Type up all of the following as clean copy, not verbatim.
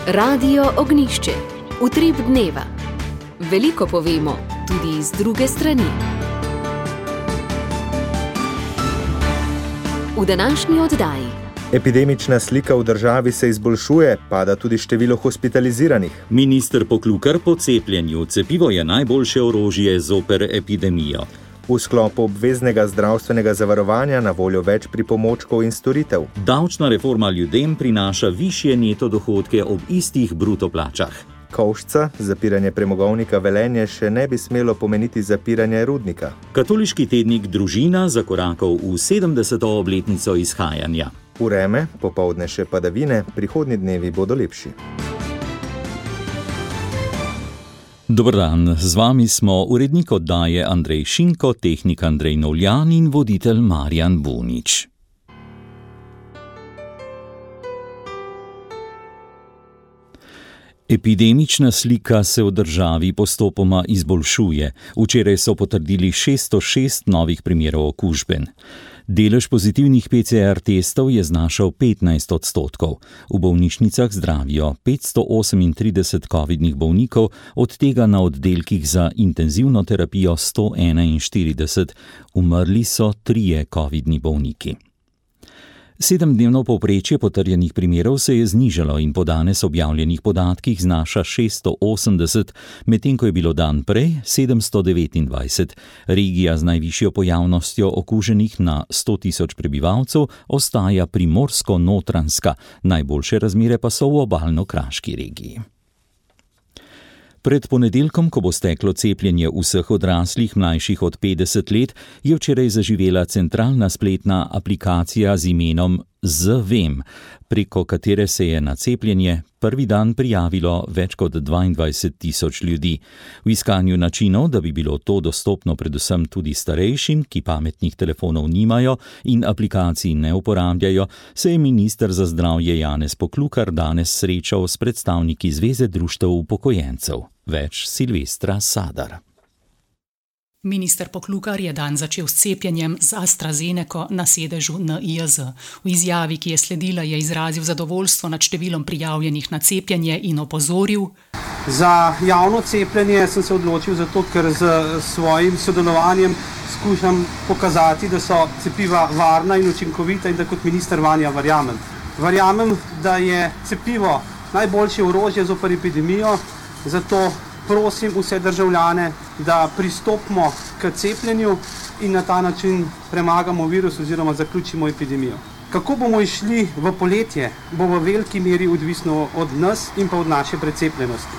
Radio Ognišče, utrip dneva. Veliko povemo, tudi z druge strani. V današnji oddaji. Epidemična slika v državi se izboljšuje, pada tudi število hospitaliziranih. Minister Poklukar po cepljenju. Cepivo je najboljše orožje zoper epidemijo. V sklopu obveznega zdravstvenega zavarovanja na voljo več pripomočkov in storitev. Davčna reforma ljudem prinaša višje neto dohodke ob istih bruto plačah. Kovšca, zapiranje premogovnika Velenje še ne bi smelo pomeniti zapiranje rudnika. Katoliški tednik Družina zakorakal v 70. obletnico izhajanja. Vreme, popoldne še padavine, prihodnji dnevi bodo lepši. Dober dan, z vami smo urednik oddaje Andrej Šinko, tehnik Andrej Novljan in voditelj Marjan Bunič. Epidemična slika se v državi postopoma izboljšuje. Včeraj so potrdili 606 novih primerov okužben. Delež pozitivnih PCR testov je znašal 15%. V bolnišnicah zdravijo 538 covidnih bolnikov, od tega na oddelkih za intenzivno terapijo 141, umrli so 3 covidni bolniki. 7-dnevno povprečje potrjenih primerov se je znižalo in po danes objavljenih podatkih znaša 680, medtem ko je bilo dan prej 729. Regija z najvišjo pojavnostjo okuženih na 100.000 prebivalcev ostaja Primorsko-Notranjska, najboljše razmere pa so v obalno-kraški regiji. Pred ponedeljkom, ko bo steklo cepljenje vseh odraslih mlajših od 50 let, je včeraj zaživela centralna spletna aplikacija z imenom ZVEM, preko katere se je na cepljenje prvi dan prijavilo več kot 22.000 ljudi. V iskanju načinov, da bi bilo to dostopno predvsem tudi starejšim, ki pametnih telefonov nimajo in aplikacij ne uporabljajo, se je minister za zdravje Janez Poklukar danes srečal s predstavniki Zveze društev upokojencev. Več Silvestra Sadar. Minister Poklukar je dan začel s cepljenjem z AstraZeneco na sedežu NIJZ. V izjavi, ki je sledila, je izrazil zadovoljstvo nad številom prijavljenih na cepljenje in opozoril: Za javno cepljenje sem se odločil zato, ker z svojim sodelovanjem skušam pokazati, da so cepiva varna in učinkovita in da kot minister vanja verjamem. Verjamem, da je cepivo najboljše orožje zoper epidemijo, zato prosim vse državljane, da pristopimo k cepljenju in na ta način premagamo virus oziroma zaključimo epidemijo. Kako bomo išli v poletje, bo v veliki meri odvisno od nas in pa od naše precepljenosti.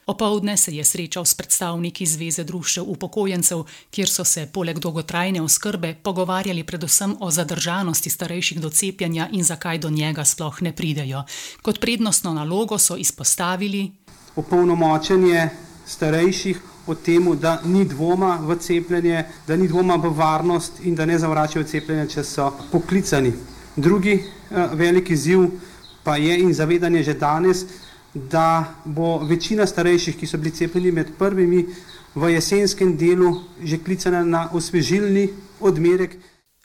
Opoldne se je srečal s predstavniki Zveze društev upokojencev, kjer so se poleg dolgotrajne oskrbe pogovarjali predvsem o zadržanosti starejših do cepljenja in zakaj do njega sploh ne pridejo. Kot prednostno nalogo so izpostavili opolnomočenje starejših o temu, da ni dvoma v cepljenje, da ni dvoma v varnost in da ne zavračajo cepljenje, če so poklicani. Drugi veliki izziv pa je in zavedanje že danes, da bo večina starejših, ki so bili cepljeni med prvimi, v jesenskem delu že klicana na osvežilni odmerek.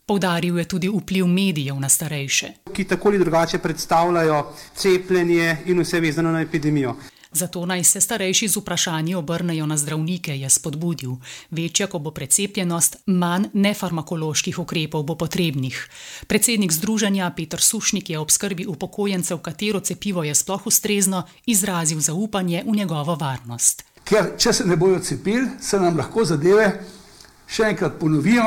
Poudaril je tudi vpliv medijev na starejše, ki tako ali drugače predstavljajo cepljenje in vse vezano na epidemijo. Zato naj se starejši z vprašanji obrnejo na zdravnike, je spodbudil. Večja, ko bo precepljenost, manj nefarmakoloških ukrepov bo potrebnih. Predsednik združenja Peter Sušnik je ob skrbi upokojencev, katero cepivo je sploh ustrezno, izrazil zaupanje v njegovo varnost. Ker če se ne bojo cepili, se nam lahko zadeve še enkrat ponovijo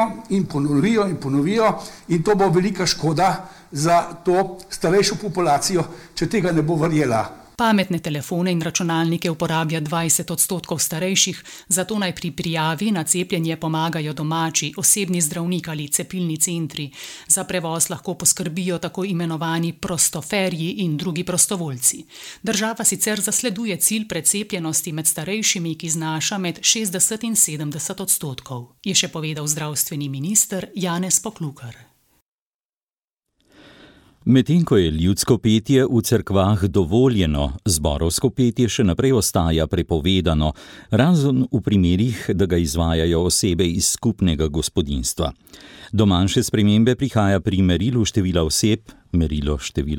in to bo velika škoda za to starejšo populacijo, če tega ne bo verjela. Pametne telefone in računalnike uporablja 20% starejših, zato naj pri prijavi na cepljenje pomagajo domači, osebni zdravnik ali cepilni centri. Za prevoz lahko poskrbijo tako imenovani prostoferji in drugi prostovoljci. Država sicer zasleduje cilj precepljenosti med starejšimi, ki znaša med 60 in 70%, je še povedal zdravstveni minister Janez Poklukar. Medtem ko je ljudsko petje v cerkvah dovoljeno, zborovsko petje še naprej ostaja prepovedano, razen v primerih, da ga izvajajo osebe iz skupnega gospodinjstva. Do manjše spremembe prihaja pri merilo števila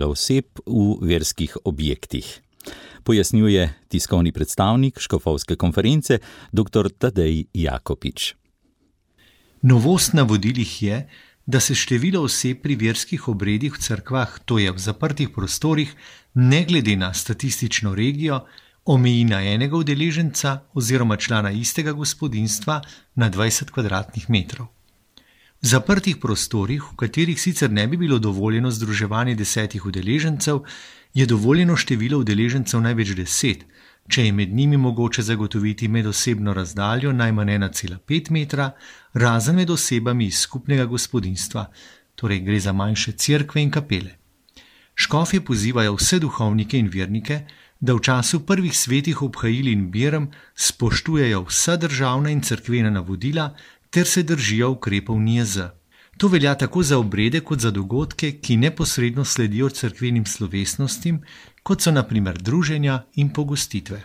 oseb v verskih objektih. pojasnjuje tiskovni predstavnik škofovske konference dr. Tadej Jakopič. Novost na vodilih je, da se število oseb pri verskih obredih v cerkvah, to je v zaprtih prostorih, ne glede na statistično regijo, omeji na enega udeleženca oziroma člana istega gospodinjstva na 20 kvadratnih metrov. V zaprtih prostorih, v katerih sicer ne bi bilo dovoljeno združevanje 10 udeležencev, je dovoljeno število udeležencev največ 10, če je med njimi mogoče zagotoviti medosebno razdaljo najmanj 1,5 metra, razen med osebami iz skupnega gospodinjstva, torej gre za manjše cerkve in kapele. Škofje pozivajo vse duhovnike in vernike, da v času prvih svetih obhajil in berem spoštujejo vsa državna in cerkvena navodila ter se držijo ukrepov NIJZ. To velja tako za obrede kot za dogodke, ki neposredno sledijo cerkvenim slovesnostim, kot so na primer druženja in pogostitve.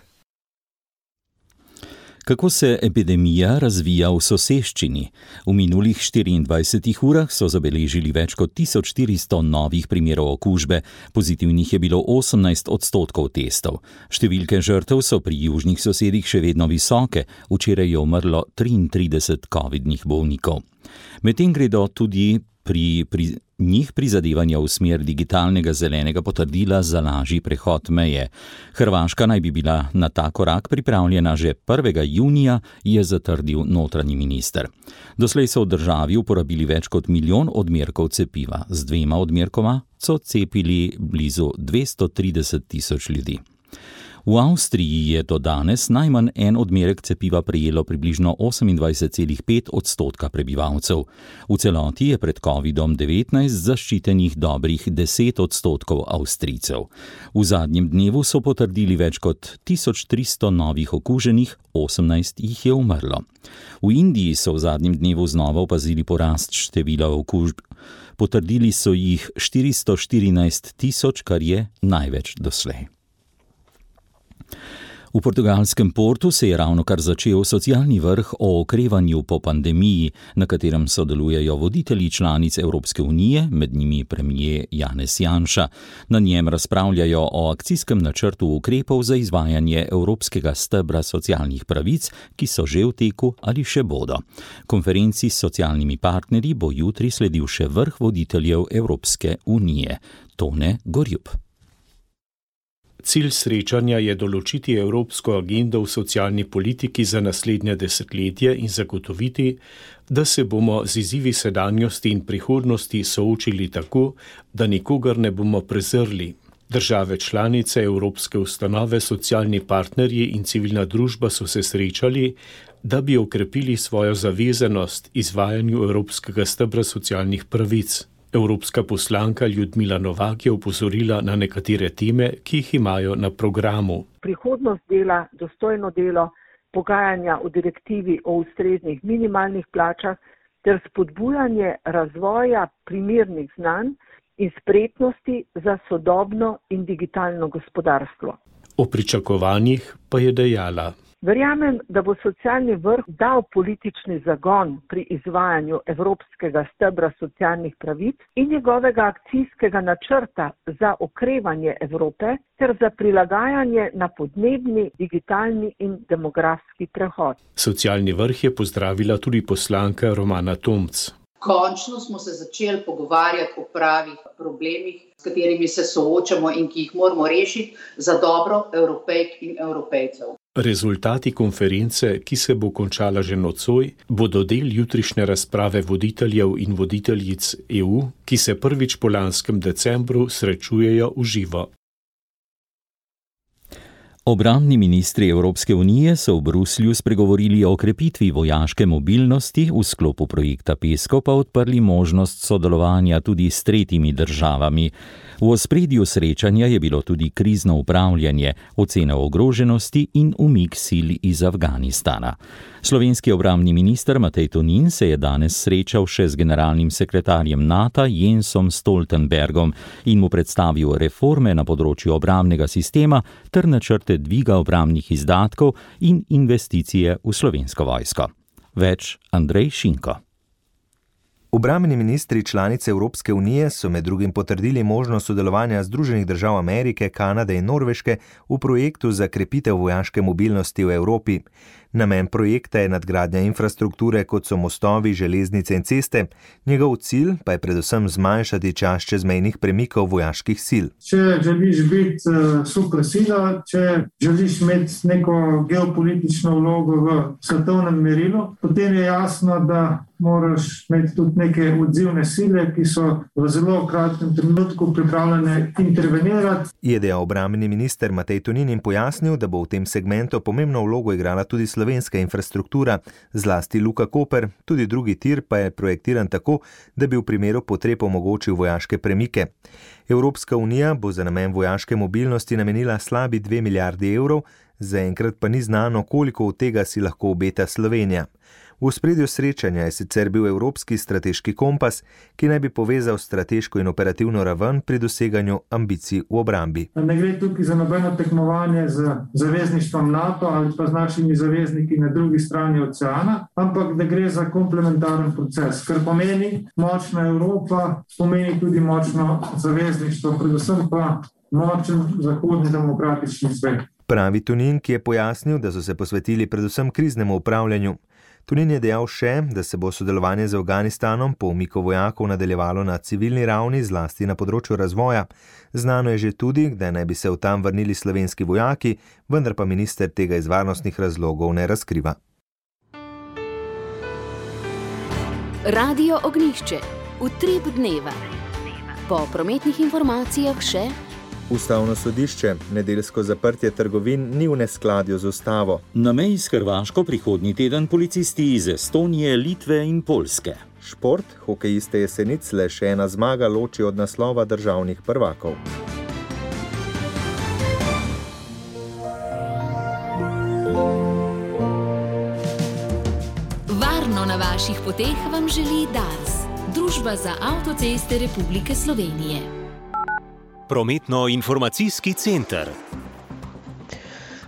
Kako se epidemija razvija v soseščini? V minulih 24 urah so zabeležili več kot 1400 novih primerov okužbe, pozitivnih je bilo 18% testov. Številke žrtev so pri južnih sosedih še vedno visoke, včeraj je umrlo 33 covidnih bolnikov. Medtem gredo tudi pri njih prizadevanja v smer digitalnega zelenega potrdila za lažji prehod meje. Hrvaška naj bi bila na ta korak pripravljena že 1. junija, je zatrdil notranji minister. Doslej so v državi uporabili več kot 1 milijon odmerkov cepiva. Z 2 odmerkoma so cepili blizu 230 tisoč ljudi. V Avstriji je do danes najmanj en odmerek cepiva prejelo približno 28,5% prebivalcev. V celoti je pred COVID-19 zaščitenih dobrih 10% Avstrijcev. V zadnjem dnevu so potrdili več kot 1300 novih okuženih, 18 jih je umrlo. V Indiji so v zadnjem dnevu znova opazili porast števila okužb. Potrdili so jih 414 tisoč, kar je največ doslej. V portugalskem Portu se je ravnokar začel socialni vrh o okrevanju po pandemiji, na katerem sodelujejo voditelji članic Evropske unije, med njimi premier Janez Janša. Na njem razpravljajo o akcijskem načrtu ukrepov za izvajanje evropskega stebra socialnih pravic, ki so že v teku ali še bodo. Konferenci s socialnimi partnerji bo jutri sledil še vrh voditeljev Evropske unije. Tone Gorjup. Cilj srečanja je določiti evropsko agendo v socialni politiki za naslednje desetletje in zagotoviti, da se bomo z izzivi sedanjosti in prihodnosti soočili tako, da nikogar ne bomo prezrli. Države članice, evropske ustanove, socialni partnerji in civilna družba so se srečali, da bi okrepili svojo zavezanost izvajanju evropskega stebra socialnih pravic. Evropska poslanka Ljudmila Novak je opozorila na nekatere teme, ki jih imajo na programu. Prihodnost dela, dostojno delo, pogajanja o direktivi o ustreznih minimalnih plačah ter spodbujanje razvoja primernih znanj in spretnosti za sodobno in digitalno gospodarstvo. O pričakovanjih pa je dejala: Verjamem, da bo socialni vrh dal politični zagon pri izvajanju evropskega stebra socialnih pravic in njegovega akcijskega načrta za okrevanje Evrope ter za prilagajanje na podnebni, digitalni in demografski prehod. Socialni vrh je pozdravila tudi poslanka Romana Tomc. Končno smo se začeli pogovarjati o pravih problemih, s katerimi se soočamo in ki jih moramo rešiti za dobro Evropejk in Evropejcev. Rezultati konference, ki se bo končala že nocoj, bodo del jutrišnje razprave voditeljev in voditeljic EU, ki se prvič po lanskem decembru srečujejo v živo. Obrambni ministri Evropske unije so v Bruslju spregovorili o krepitvi vojaške mobilnosti, v sklopu projekta PESCO pa odprli možnost sodelovanja tudi s tretjimi državami. V ospredju srečanja je bilo tudi krizno upravljanje, ocena ogroženosti in umik sil iz Afganistana. Slovenski obrambni minister Matej Tonin se je danes srečal še z generalnim sekretarjem NATO Jensom Stoltenbergom in mu predstavil reforme na področju obrambnega sistema ter načrte dviga obrambnih izdatkov in investicije v Slovensko vojsko. Več Andrej Šinko. Obrambni ministri članice Evropske unije so med drugim potrdili možnost sodelovanja Združenih držav Amerike, Kanade in Norveške v projektu za krepitev vojaške mobilnosti v Evropi. Namen projekta je nadgradnja infrastrukture, kot so mostovi, železnice in ceste. Njegov cilj pa je predvsem zmanjšati čas čezmejnih premikov vojaških sil. Če želiš biti supersila, če želiš imeti neko geopolitično vlogo v svetovnem merilu, potem je jasno, da moraš imeti tudi neke odzivne sile, ki so v zelo kratkem trenutku pripravljene intervenirati. Je dejal obrambni minister Matej Tonin in pojasnil, da bo v tem segmentu pomembno vlogo igrala tudi slovenska infrastruktura, zlasti Luka Koper, tudi drugi tir pa je projektiran tako, da bi v primeru potreb omogočil vojaške premike. Evropska unija bo za namen vojaške mobilnosti namenila slabi 2 milijardi evrov, zaenkrat pa ni znano, koliko od tega si lahko obeta Slovenija. V ospredju srečanja je sicer bil Evropski strateški kompas, ki naj bi povezal strateško in operativno raven pri doseganju ambicij v obrambi. Ne gre tukaj za nobeno tekmovanje z zavezništvom NATO ali pa z našimi zavezniki na drugi strani oceana, ampak da gre za komplementaren proces, kar pomeni močna Evropa, pomeni tudi močno zavezništvo, predvsem pa močen zahodni demokratični svet. Pravi Tonin, ki je pojasnil, da so se posvetili predvsem kriznemu upravljanju. Tonin je dejal še, da se bo sodelovanje z Afganistanom po umiku vojakov nadaljevalo na civilni ravni, zlasti na področju razvoja. Znano je že tudi, da naj bi se v tam vrnili slovenski vojaki, vendar pa minister tega iz varnostnih razlogov ne razkriva. Radio Ognjišče. Utrip dneva. Po prometnih informacijah še Ustavno sodišče. Nedeljsko zaprtje trgovin ni v neskladju z ustavo. Na meji s Hrvaško prihodnji teden policisti iz Estonije, Litve in Poljske. Šport, hokejiste Jesenic le še ena zmaga loči od naslova državnih prvakov. Varno na vaših poteh vam želi Dars, Družba za avtoceste Republike Slovenije. Prometno-informacijski center.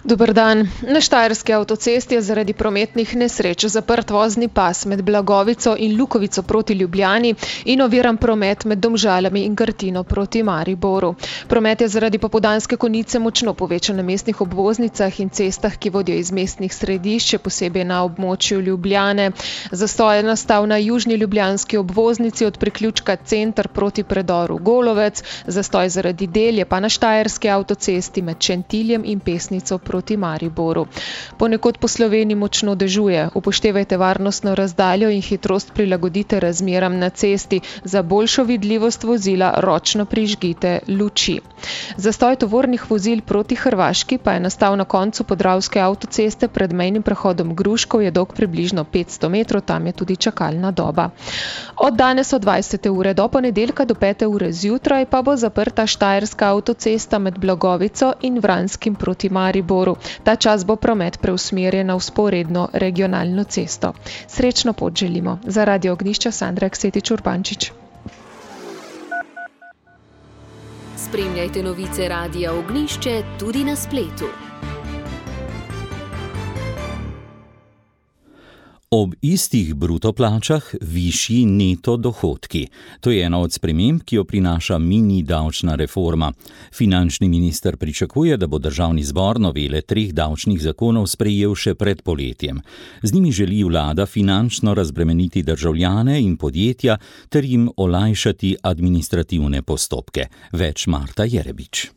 Dober dan. Na Štajerski avtocesti je zaradi prometnih nesreč zaprt vozni pas med Blagovico in Lukovico proti Ljubljani in oviran promet med Domžalami in Gartino proti Mariboru. Promet je zaradi popoldanske konice močno povečan na mestnih obvoznicah in cestah, ki vodijo iz mestnih središč, posebej na območju Ljubljane. Zastoj je nastal na južni ljubljanski obvoznici od priključka Center proti predoru Golovec, zastoj zaradi del je pa na Štajerski avtocesti med Šentiljem in Pesnico proti Mariboru. Ponekod po Sloveniji močno dežuje. Upoštevajte varnostno razdaljo in hitrost prilagodite razmeram na cesti. Za boljšo vidljivost vozila ročno prižgite luči. Zastoj tovornih vozil proti Hrvaški pa je nastal na koncu Podravske avtoceste pred mejnim prehodom Gruškov, je dolg približno 500 metrov, tam je tudi čakalna doba. Od danes od 20. ure do ponedeljka do 5. ure zjutraj pa bo zaprta Štajerska avtocesta med Blagovico in Vranskim proti Mariboru. Ta čas bo promet preusmerjen na vzporedno regionalno cesto. Srečno pot želimo. Za Radio Ognjišče Sandra Aksetič-Urbančič. Spremljajte novice Radia Ognjišče tudi na spletu. Ob istih bruto plačah višji neto dohodki. To je ena od sprememb, ki jo prinaša mini davčna reforma. Finančni minister pričakuje, da bo državni zbor novele 3 davčnih zakonov sprejel še pred poletjem. Z njimi želi vlada finančno razbremeniti državljane in podjetja ter jim olajšati administrativne postopke. Več Marta Jerebič.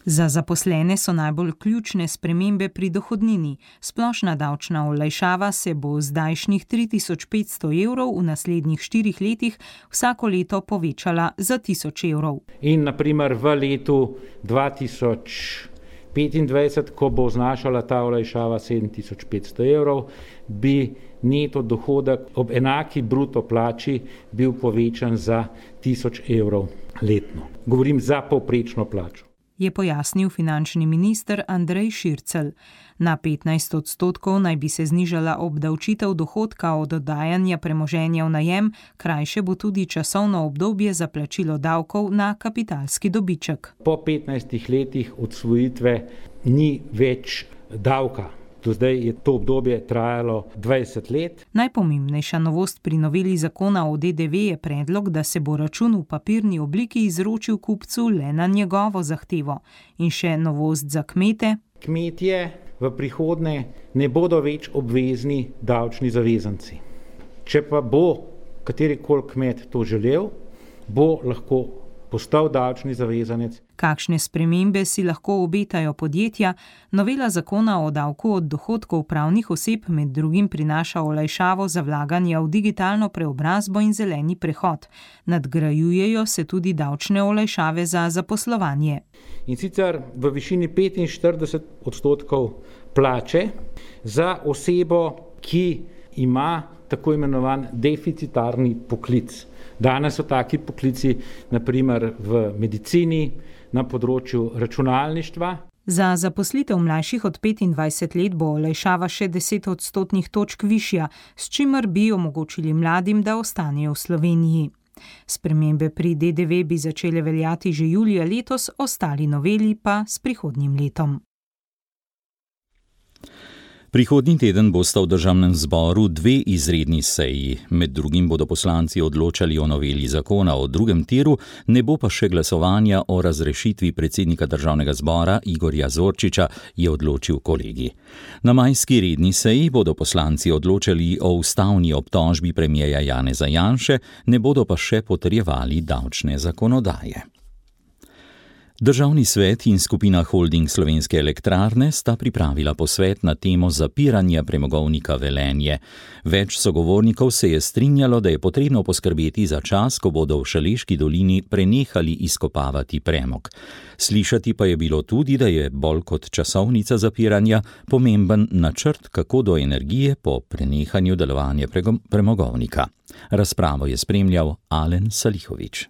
Za zaposlene so najbolj ključne spremembe pri dohodnini. Splošna davčna olajšava se bo zdajšnjih 3500 evrov v naslednjih 4 letih vsako leto povečala za 1000 evrov. In naprimer v letu 2025, ko bo znašala ta olajšava 7500 evrov, bi neto dohodek ob enaki bruto plači bil povečan za 1000 evrov letno. Govorim za povprečno plačo. Je pojasnil finančni minister Andrej Šircelj. Na 15% naj bi se znižala obdavčitev dohodka od oddajanja premoženja v najem, krajše bo tudi časovno obdobje za plačilo davkov na kapitalski dobiček. Po 15 letih odsvojitve ni več davka. Do zdaj je to obdobje trajalo 20 let. Najpomembnejša novost pri noveli zakona o DDV je predlog, da se bo račun v papirni obliki izročil kupcu le na njegovo zahtevo. In še novost za kmete. Kmetje v prihodnje ne bodo več obvezni davčni zavezanci. Če pa bo katerikoli kmet to želel, bo lahko postal davčni zavezanec. Kakšne spremembe si lahko obetajo podjetja? Novela zakona o davku od dohodkov pravnih oseb med drugim prinaša olajšavo za vlaganje v digitalno preobrazbo in zeleni prehod. Nadgrajujejo se tudi davčne olajšave za zaposlovanje. In sicer v višini 45% plače za osebo, ki ima tako imenovan deficitarni poklic. Danes so taki poklici, naprimer v medicini, na področju računalništva. Za zaposlitev mlajših od 25 let bo olajšava še 10 odstotnih točk višja, s čimer bi omogočili mladim, da ostanejo v Sloveniji. Spremembe pri DDV bi začele veljati že julija letos, ostali noveli pa s prihodnjim letom. Prihodnji teden bosta v državnem zboru 2 izredni seji. Med drugim bodo poslanci odločali o noveli zakona o drugem tiru, ne bo pa še glasovanja o razrešitvi predsednika državnega zbora Igorja Zorčiča, je odločil kolegij. Na majski redni seji bodo poslanci odločali o ustavni obtožbi premierja Janeza Janše, ne bodo pa še potrjevali davčne zakonodaje. Državni svet in skupina Holding Slovenske elektrarne sta pripravila posvet na temo zapiranja premogovnika Velenje. Več sogovornikov se je strinjalo, da je potrebno poskrbeti za čas, ko bodo v Šaleški dolini prenehali izkopavati premog. Slišati pa je bilo tudi, da je bolj kot časovnica zapiranja pomemben načrt, kako do energije po prenehanju delovanja premogovnika. Razpravo je spremljal Alen Salihović.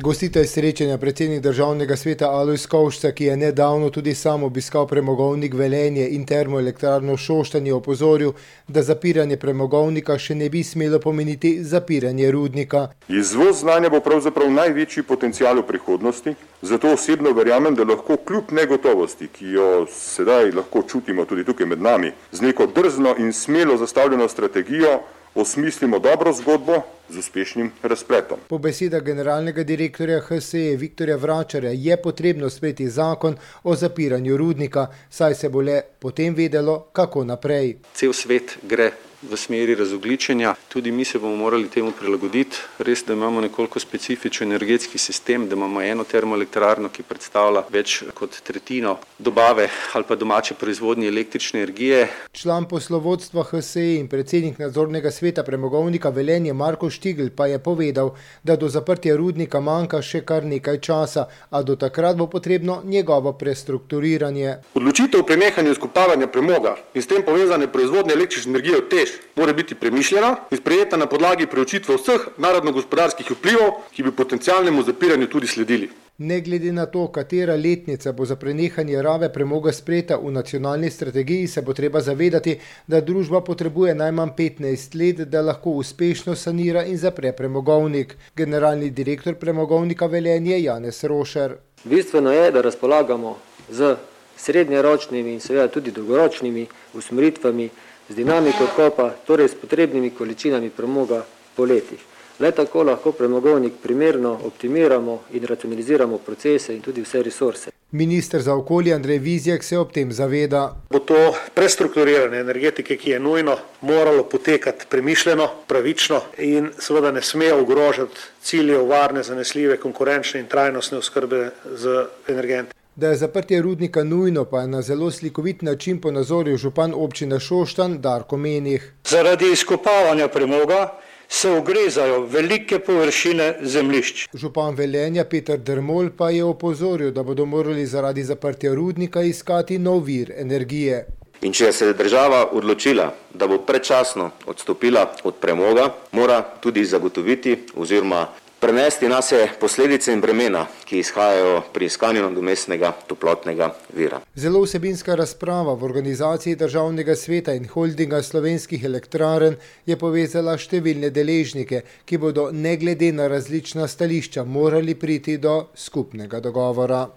Gostitelj srečanja, predsednik državnega sveta Alojz Kovšca, ki je nedavno tudi sam obiskal premogovnik Velenje in termoelektrarno Šoštanj, je opozoril, da zapiranje premogovnika še ne bi smelo pomeniti zapiranje rudnika. Izvoz znanja bo pravzaprav največji potencial v prihodnosti, zato osebno verjamem, da lahko kljub negotovosti, ki jo sedaj lahko čutimo tudi tukaj med nami, z neko drzno in smelo zastavljeno strategijo osmislimo dobro zgodbo z uspešnim razpletom. Po besedah generalnega direktorja HSE Viktorja Vračarja je potrebno sprejeti zakon o zapiranju rudnika, saj se bo le potem vedelo, kako naprej. Cel svet gre v smeri razogljičenja, tudi mi se bomo morali temu prilagoditi. Res, da imamo nekoliko specifičen energetski sistem, da imamo eno termoelektrarno, ki predstavlja več kot tretjino dobave ali pa domače proizvodnje električne energije. Član poslovodstva HSE in predsednik nadzornega sveta premogovnika Velenje Marko Štigl pa je povedal, da do zaprtja rudnika manjka še kar nekaj časa, a do takrat bo potrebno njegovo prestrukturiranje. Odločitev o prenehanju izkopavanja premoga in s tem povezane proizvodnje električne energije v TEŠ mora biti premišljena in sprejeta na podlagi preučitve vseh narodno-gospodarskih vplivov, ki bi potencialnemu zapiranju tudi sledili. Ne glede na to, katera letnica bo za prenehanje rabe premoga sprejeta v nacionalni strategiji, se bo treba zavedati, da družba potrebuje najmanj 15 let, da lahko uspešno sanira in zapre premogovnik. Generalni direktor premogovnika Velenje Janez Rošer. Bistveno je, da razpolagamo z srednjeročnimi in seveda tudi dolgoročnimi usmeritvami, z dinamiko odkopa, torej s potrebnimi količinami premoga po letih. Le tako lahko premogovnik primerno optimiramo in racionaliziramo procese in tudi vse resurse. Minister za okolje Andrej Vizjak se ob tem zaveda. Bo to prestrukturiranje energetike, ki je nujno, moralo potekati premišljeno, pravično in seveda ne sme ogrožati ciljev varne, zanesljive, konkurenčne in trajnostne oskrbe z energenti. Da je zaprtje rudnika nujno, pa je na zelo slikovit način ponazoril župan občine Šoštanj Darko Menih. Zaradi izkopavanja premoga se ogrezajo velike površine zemljišč. Župan Velenja Peter Dermol pa je opozoril, da bodo morali zaradi zaprtja rudnika iskati nov vir energije. In če se je država odločila, da bo predčasno odstopila od premoga, mora tudi zagotoviti oziroma prenesti nase posledice in bremena, ki izhajajo pri iskanju nadomestnega toplotnega vira. Zelo vsebinska razprava v organizaciji Državnega sveta in Holdinga Slovenskih elektrarn je povezala številne deležnike, ki bodo ne glede na različna stališča morali priti do skupnega dogovora.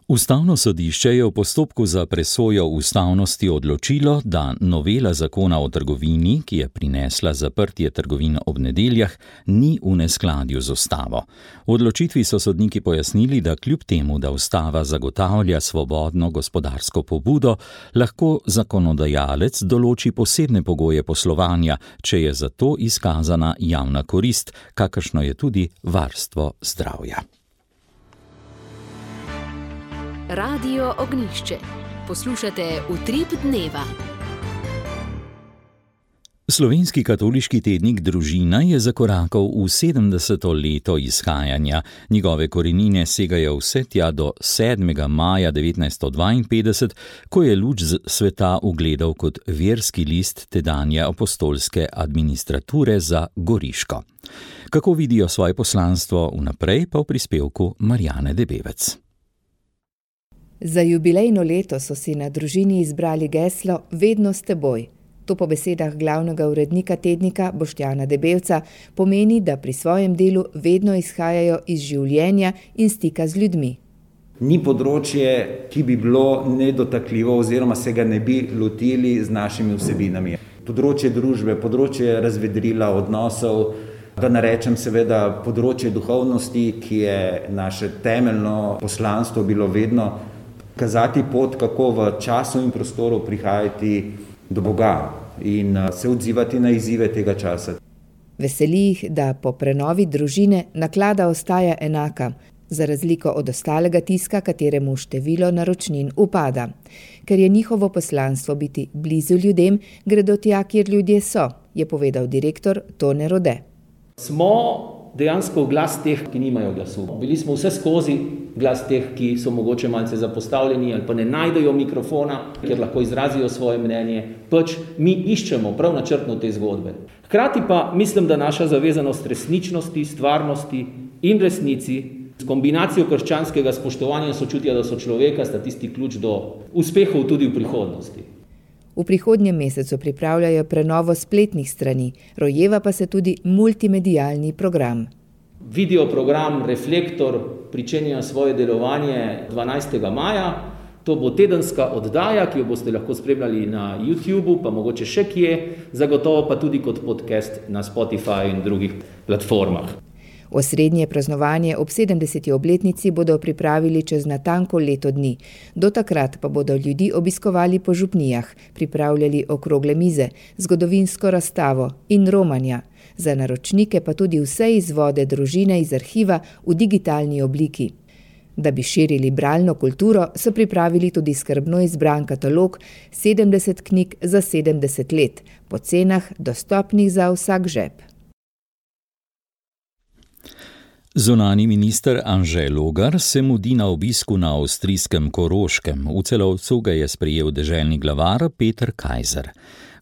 Ustavno sodišče je v postopku za presojo ustavnosti odločilo, da novela zakona o trgovini, ki je prinesla zaprtje trgovin ob nedeljah, ni v neskladju z ustavo. V odločitvi so sodniki pojasnili, da kljub temu, da ustava zagotavlja svobodno gospodarsko pobudo, lahko zakonodajalec določi posebne pogoje poslovanja, če je za to izkazana javna korist, kakršno je tudi varstvo zdravja. Radio Ognjišče. Poslušate Utrip dneva. Slovenski katoliški tednik Družina je zakorakal v 70. leto izhajanja. Njegove korenine segajo vse tja do 7. maja 1952, ko je luč sveta ugledal kot verski list tedanje apostolske administrature za Goriško. Kako vidijo svoje poslanstvo vnaprej, pa v prispevku Marjane Debevec. Za jubilejno leto so si na Družini izbrali geslo Vedno s teboj. To po besedah glavnega urednika tednika Boštjana Debevca pomeni, da pri svojem delu vedno izhajajo iz življenja in stika z ljudmi. Ni področje, ki bi bilo nedotakljivo oziroma se ga ne bi lotili z našimi vsebinami. Področje družbe, področje razvedrila odnosov, da narečem seveda področje duhovnosti, ki je naše temeljno poslanstvo bilo vedno kazati pot, kako v času in prostoru prihajati do Boga in se odzivati na izzive tega časa. Veseli jih, da po prenovi Družine naklada ostaja enaka, za razliko od ostalega tiska, kateremu število naročnin upada. Ker je njihovo poslanstvo biti blizu ljudem, gredo tja, kjer ljudje so, je povedal direktor Tone Rode. Smo dejansko glas teh, ki nimajo glasu. Bili smo vse skozi glas teh, ki so mogoče malce zapostavljeni ali pa ne najdejo mikrofona, ker lahko izrazijo svoje mnenje. Mi iščemo prav načrtno te zgodbe. Hkrati pa mislim, da naša zavezanost resničnosti, stvarnosti in resnici s kombinacijo krščanskega spoštovanja in sočutja do sočloveka sta tisti ključ do uspehov tudi v prihodnosti. V prihodnjem mesecu pripravljajo prenovo spletnih strani, rojeva pa se tudi multimedialni program. Video program Reflektor pričenja svoje delovanje 12. maja. To bo tedenska oddaja, ki jo boste lahko spremljali na YouTubeu, pa mogoče še kje, zagotovo pa tudi kot podcast na Spotify in drugih platformah. Osrednje praznovanje ob 70. obletnici bodo pripravili čez natanko leto dni. Do takrat pa bodo ljudi obiskovali po župnijah, pripravljali okrogle mize, zgodovinsko razstavo in romanja. Za naročnike pa tudi vse izvode Družine iz arhiva v digitalni obliki. Da bi širili bralno kulturo, so pripravili tudi skrbno izbran katalog 70 knjig za 70 let, po cenah dostopnih za vsak žep. Zunanji minister Anže Logar se mudi na obisku na avstrijskem Koroškem. V Celovcu ga je sprejel deželni glavar Peter Kajzer.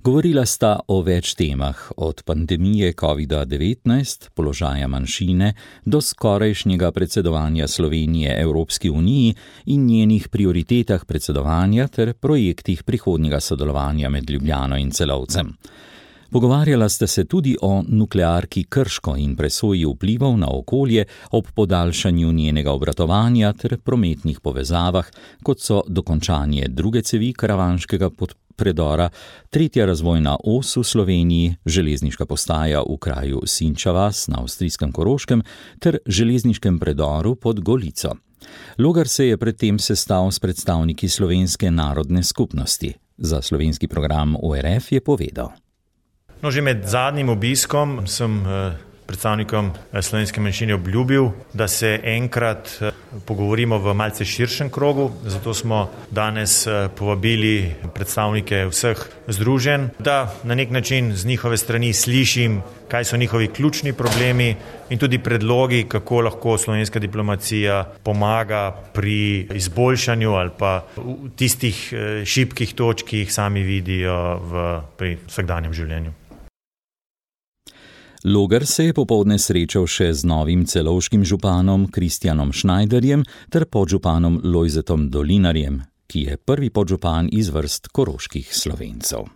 Govorila sta o več temah, od pandemije COVID-19, položaja manjšine, do skorajšnjega predsedovanja Slovenije Evropski uniji in njenih prioritetah predsedovanja ter projektih prihodnjega sodelovanja med Ljubljano in Celovcem. Pogovarjala sta se tudi o nuklearki Krško in presoji vplivov na okolje ob podaljšanju njenega obratovanja ter prometnih povezavah, kot so dokončanje druge cevi karavanškega predora, tretja razvojna os v Sloveniji, železniška postaja v kraju Sinča vas na avstrijskem Koroškem ter železniškem predoru pod Golico. Logar se je predtem sestal s predstavniki slovenske narodne skupnosti. Za slovenski program ORF je povedal. Že med zadnjim obiskom sem predstavnikom slovenske manjšine obljubil, da se enkrat pogovorimo v malce širšem krogu, zato smo danes povabili predstavnike vseh združenj, da na nek način z njihove strani slišim, kaj so njihovi ključni problemi in tudi predlogi, kako lahko slovenska diplomacija pomaga pri izboljšanju ali pa v tistih šibkih točk, ki jih sami vidijo pri vsakdanjem življenju. Logar se je popoldne srečal še z novim celovškim županom Kristjanom Schneiderjem ter podžupanom Lojzetom Dolinarjem, ki je prvi podžupan iz vrst koroških Slovencev.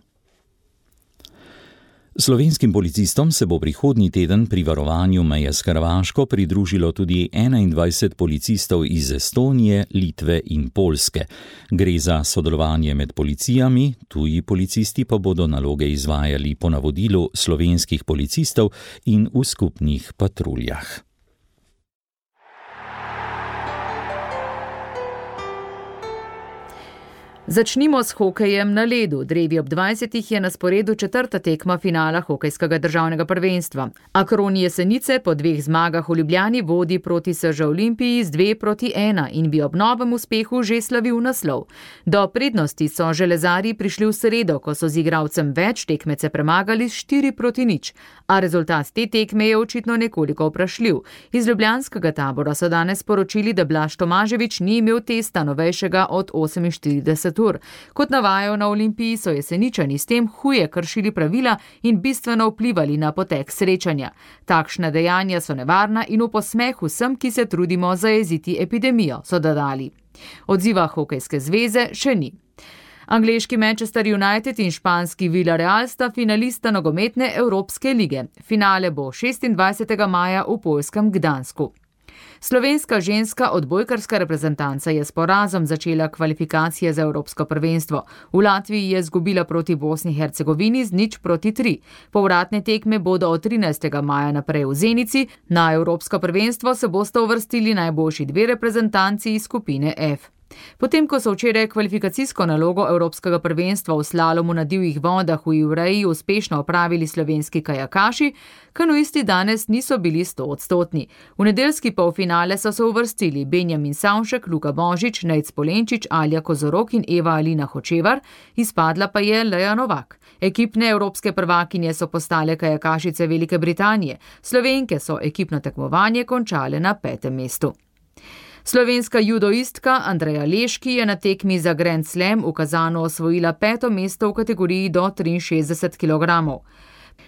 Slovenskim policistom se bo prihodnji teden pri varovanju meje s Hrvaško pridružilo tudi 21 policistov iz Estonije, Litve in Poljske. Gre za sodelovanje med policijami, tuji policisti pa bodo naloge izvajali po navodilu slovenskih policistov in v skupnih patruljah. Začnimo s hokejem na ledu. Drevi ob 20 je na sporedu 4. tekma finala hokejskega državnega prvenstva. Akroni Jesenice po 2 zmagah v Ljubljani vodi proti SŽ Olimpiji z 2-1 in bi ob novem uspehu že slavil naslov. Do prednosti so železarji prišli v sredo, ko so z igralcem več tekmece premagali s 4-0, a rezultat te tekme je očitno nekoliko vprašljiv. Iz ljubljanskega tabora so danes sporočili, da Blaž Tomažević ni imel testa novejšega od 48 ur. Kot navajajo na Olimpiji, so Jeseničani s tem huje kršili pravila in bistveno vplivali na potek srečanja. Takšna dejanja so nevarna in v posmeh vsem, ki se trudimo zajeziti epidemijo, so dodali. Odziva Hokejske zveze še ni. Angleški Manchester United in španski Villarreal sta finalista nogometne Evropske lige. Finale bo 26. maja v poljskem Gdansku. Slovenska ženska odbojkarska reprezentanca je s porazom začela kvalifikacije za Evropsko prvenstvo. V Latviji je izgubila proti Bosni in Hercegovini z 0-3. Povratne tekme bodo od 13. maja naprej v Zenici. Na Evropsko prvenstvo se bosta uvrstili najboljši 2 reprezentanci iz skupine F. Potem, ko so včeraj kvalifikacijsko nalogo Evropskega prvenstva v slalomu na divjih vodah v Ivreji uspešno opravili slovenski kajakaši, kanuisti danes niso bili 100-odstotni. V nedeljski polfinale so se uvrstili Benjamin Savšek, Luka Božič, Nejc Polenčič, Alja Kozorok in Eva Alina Hočevar, izpadla pa je Leja Novak. Ekipne evropske prvakinje so postale kajakašice Velike Britanije. Slovenke so ekipno tekmovanje končale na 5. mestu. Slovenska judoistka Andreja Leški je na tekmi za Grand Slam v Kazanu osvojila 5. mesto v kategoriji do 63 kg.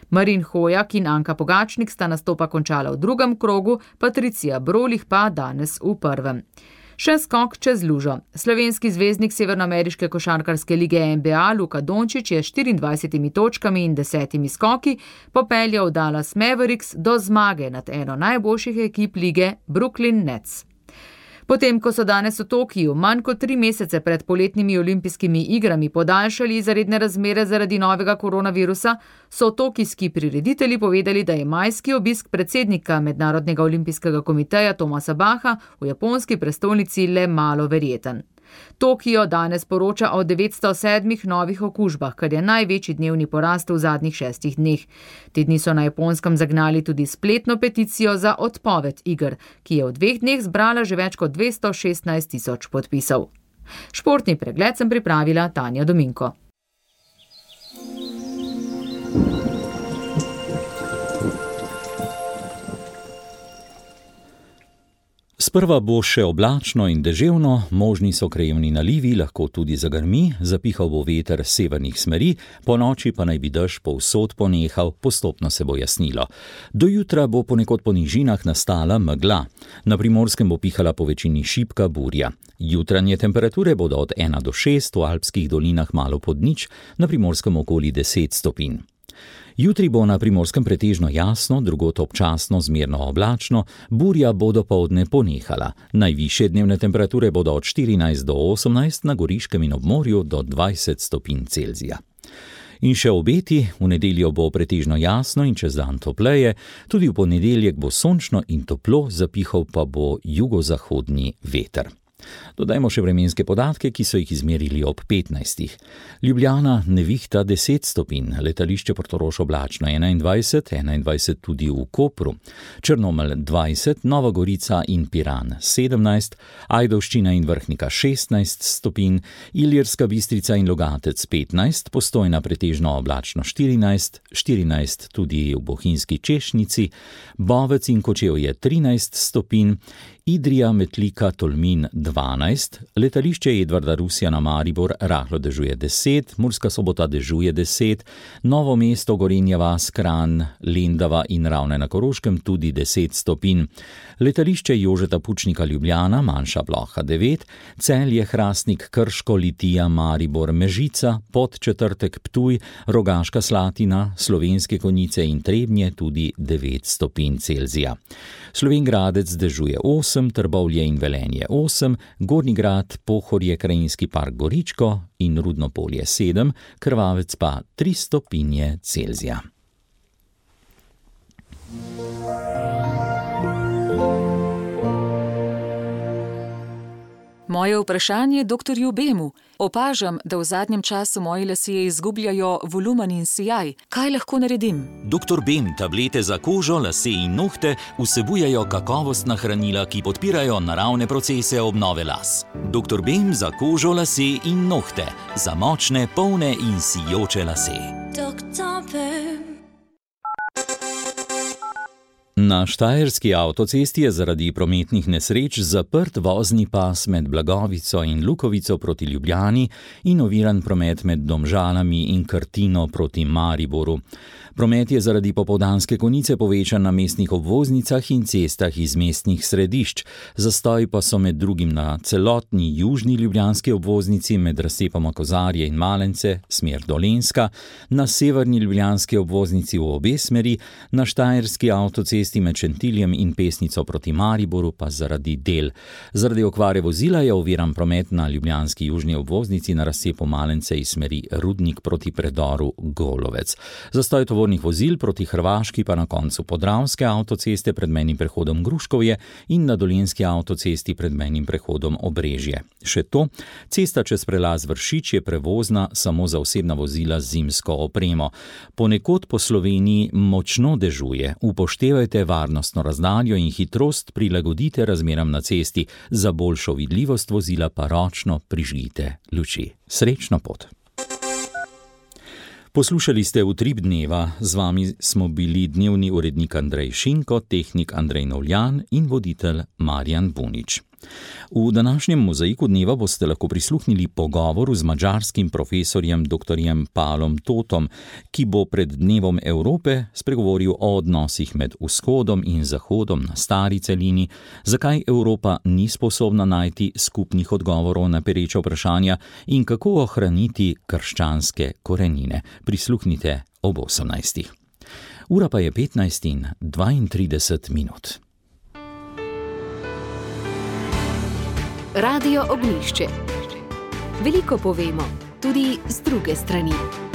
Marin Hojak in Anka Pogačnik sta nastopa končala v 2. krogu, Patricija Brolih pa danes v 1. Še skok čez lužo. Slovenski zvezdnik severnoameriške košarkarske lige NBA Luka Dončić je s 24 točkami in 10 skoki popeljal Dallas Mavericks do zmage nad eno najboljših ekip lige Brooklyn Nets. Potem, ko so danes v Tokiju manj kot 3 mesece pred poletnimi olimpijskimi igrami podaljšali izredne razmere zaradi novega koronavirusa, so tokijski prireditelji povedali, da je majski obisk predsednika Mednarodnega olimpijskega komiteja Thomasa Bacha v japonski prestolnici le malo verjeten. Tokio danes poroča o 907 novih okužbah, kar je največji dnevni porast v zadnjih 6 dneh. Te dni so na Japonskem zagnali tudi spletno peticijo za odpoved iger, ki je v 2 dneh zbrala že več kot 216.000 podpisov. Športni pregled sem pripravila Tanja Dominko. Sprva bo še oblačno in deževno, možni so krajevni nalivi, lahko tudi zagrmi, zapihal bo veter severnih smeri, po noči pa naj bi dež povsod ponehal, postopno se bo jasnilo. Do jutra bo ponekod po nižinah nastala megla. Na Primorskem bo pihala po večini šibka burja. Jutranje temperature bodo od 1 do 6, v alpskih dolinah malo pod nič, na Primorskem okoli 10 stopinj. Jutri bo na Primorskem pretežno jasno, drugod občasno zmerno oblačno, burja bo dopoldne ponehala. Najvišje dnevne temperature bodo od 14 do 18, na Goriškem in ob morju do 20 stopinj Celzija. In še obeti, v nedeljo bo pretežno jasno in čez dan topleje, tudi v ponedeljek bo sončno in toplo, zapihal pa bo jugozahodni veter. Dodajmo še vremenske podatke, ki so jih izmerili ob 15. Ljubljana nevihta 10 stopinj, letališče Portorož oblačno 21 tudi v Kopru, Črnomelj 20, Nova Gorica in Piran 17, Ajdovščina in Vrhnika 16 stopinj, Ilirska Bistrica in Logatec 15, Postojna pretežno oblačno 14 tudi v Bohinjski Češnici, Bovec in Kočevje 13 stopinj, Idrija, Metlika, Tolmin 12, letališče Edvarda Rusjana Maribor rahlo dežuje 10, Murska Sobota dežuje 10, Novo mesto, Gorenja vas, Kranj, Lendava in Ravne na Koroškem tudi 10 stopinj. Letališče Jožeta Pučnika Ljubljana, manjša ploha 9, Celje, Hrastnik, Krško, Litija, Maribor, Mežica, Podčetrtek, Ptuj, Rogaška Slatina, Slovenske Konjice in Trebnje tudi 9 stopinj Celzija. Slovenj Gradec dežuje 8, Trbovlje in Velenje 8, Gornji Grad, Pohorje, Krajinski park Goričko in Rudno Polje 7, Krvavec pa 3 stopinje Celzija. Moje vprašanje doktorju Bemu. Opažam, da v zadnjem času moji lasje izgubljajo volumen in sijaj. Kaj lahko naredim? Doktor Bem, tablete za kožo, lase in nohte vsebujejo kakovostna hranila, ki podpirajo naravne procese obnove las. Doktor Bem za kožo, lase in nohte. Za močne, polne in sijoče lase. Doktor Bem. Na štajerski avtocesti je zaradi prometnih nesreč zaprt vozni pas med Blagovico in Lukovico proti Ljubljani in oviran promet med Domžalami in Krtino proti Mariboru. Promet je zaradi popoldanske konice povečan na mestnih obvoznicah in cestah iz mestnih središč. Zastoj pa so med drugim na celotni južni ljubljanski obvoznici med razcepoma Kozarje in Malence, smer Dolenjska, na severni ljubljanski obvoznici v obe smeri, na štajerski avtocesti med Šentiljem in Pesnico proti Mariboru pa zaradi del. Zaradi okvare vozila je oviran promet na ljubljanski južni obvoznici na razcepu Malence iz smeri Rudnik proti predoru Golovec. Zastoj tovornih vozil proti Hrvaški pa na koncu Podravske avtoceste pred mejnim prehodom Gruškovje in na Dolenjski avtocesti pred mejnim prehodom Obrežje. Še to, cesta čez prelaz Vršič je prevozna samo za osebna vozila z zimsko opremo. Ponekod po Sloveniji močno dežuje, upoštevajte varnostno razdaljo in hitrost prilagodite razmeram na cesti, za boljšo vidljivost vozila pa ročno prižgite luči. Srečno pot! Poslušali ste Utrip dneva, z vami smo bili dnevni urednik Andrej Šinko, tehnik Andrej Novljan in voditelj Marjan Bunič. V današnjem mozaiku dneva boste lahko prisluhnili pogovoru z madžarskim profesorjem dr. Palom Totom, ki bo pred Dnevom Evrope spregovoril o odnosih med vzhodom in zahodom na stari celini, zakaj Evropa ni sposobna najti skupnih odgovorov na pereča vprašanja in kako ohraniti krščanske korenine. Prisluhnite ob 18. Ura pa je 15:32. Radio Ognjišče. Veliko povemo, tudi z druge strani.